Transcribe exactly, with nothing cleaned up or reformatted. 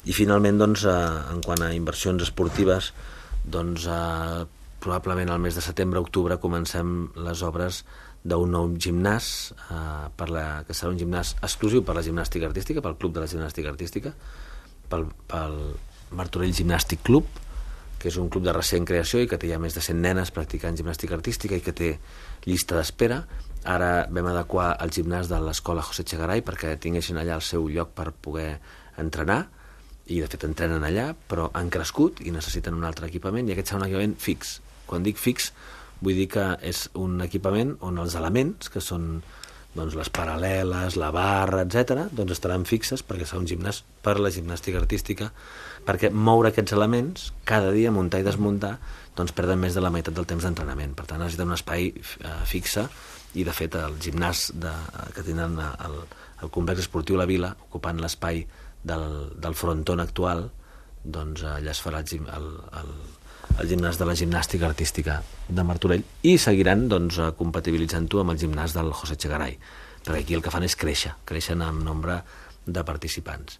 I finalment, doncs, eh, en quant a inversions esportives, doncs, eh, probablement al mes de setembre-octubre comencem les obres d'un nou gimnàs, eh, per la, que serà un gimnàs exclusiu per la gimnàstica artística, pel Club de la Gimnàstica Artística, pel, pel Martorell Gimnàstic Club, que és un club de recent creació i que té ja més de cent nenes practicant gimnàstica artística i que té llista d'espera. Ara vam adequar el gimnàs de l'escola José Echegaray perquè tinguessin allà el seu lloc per poder entrenar, i de fet entrenen allà, però han crescut i necessiten un altre equipament, i aquest serà un equipament fix. Quan dic fix, vull dir que és un equipament on els elements, que són doncs, les paral·leles, la barra, etcètera, doncs estaran fixes perquè serà un gimnàs per la gimnàstica artística, perquè moure aquests elements cada dia, muntar i desmuntar, doncs perden més de la meitat del temps d'entrenament. Per tant, necessiten un espai eh, fixe, i de fet el gimnàs de, que tindran el, el complex esportiu La Vila, ocupant l'espai del, del fronton actual, doncs allà es farà el, el, el, el gimnàs de la gimnàstica artística de Martorell, i seguiran doncs, compatibilitzant-ho amb el gimnàs del José Echegaray, perquè aquí el que fan és créixer, creixen en nombre de participants.